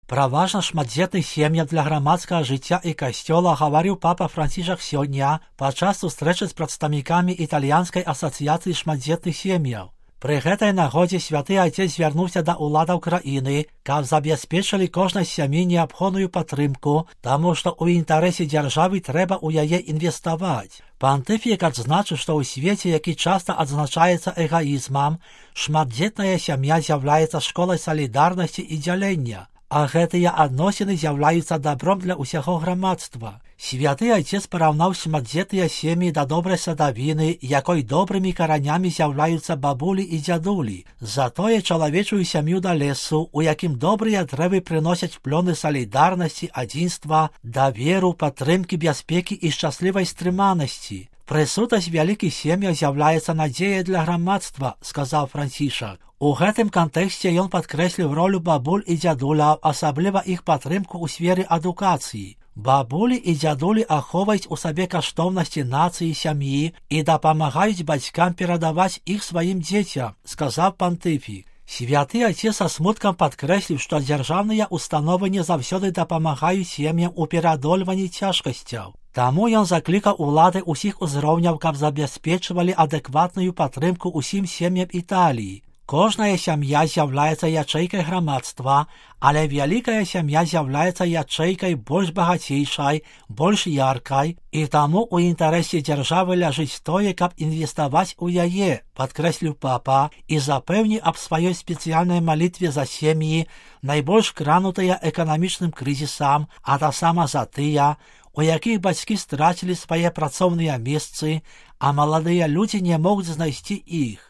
Пра важнасць шматдзетных сем'яў для грамадскага жыцця і касцёла гаварыў папа Францішак сёння падчас сустрэчы з прадстаўнікамі італьянскай асацыяцыі шматдзетных сем'яў. Пры гэтай нагодзе святы айцец звярнуўся да ўладаў краіны, каб забяспечылі кожнай сям'і неабходную падтрымку, таму што ў інтарэсе дзяржавы трэба ў яе інвеставаць. Пантыфік адзначыў, што ў свеце, які часта адзначаецца эгаізмам, шматдзетная сям'я з'яўляецца школай салідарнасці і дзялення, а гэтыя адносіны з'яўляюцца дабром для ўсяго грамадства. Святы айцец параўнаў шматдзетныя сем'і да добрай садавіны, якой добрымі каранямі з'яўляюцца бабулі і дзядулі. Затое чалавечую сям'ю да лесу, у якім добрыя дрэвы прыносяць плёны салідарнасці, адзінства, даверу, падтрымкі, бяспекі і шчаслівай стрыманасці. Прысутнасць вялікіх сем'яў з'яўляецца надзеяй для грамадства, сказаў Францішак. У гэтым кантэксце ён падкрэсліў ролю бабуль і дзядуляў, асабліва іх падтрымку ў сферы адукацыі. Бабулі і дзядулі ахоўваюць у сабе каштоўнасці нацыі, сям'і і дапамагаюць бацькам перадаваць іх сваім дзецям, сказаў пантыфік. Святы айцец са смуткам падкрэсліў, што дзяржаўныя установы не заўсёды дапамагаюць сем'ям у пераадольванні цяжкасцяў. Таму ён заклікаў улады ўсіх узроўняў, каб забяспечвалі адэкватную падтрымку ўсім сем'ям Італіі. Кожная сям'я з'яўляецца ячэйкай грамадства, але вялікая сям'я з'яўляецца ячэйкай больш багацейшай, больш яркай, і таму ў інтарэсе дзяржавы ляжыць тое, каб інвеставаць у яе, падкрэсліў папа і запэўніў аб сваёй спецыяльнай малітве за сем'і, найбольш кранутыя эканамічным крызісам, а таксама за тыя, у якіх бацькі страцілі свае працоўныя месцы, а маладыя людзі не могуць знайсці іх.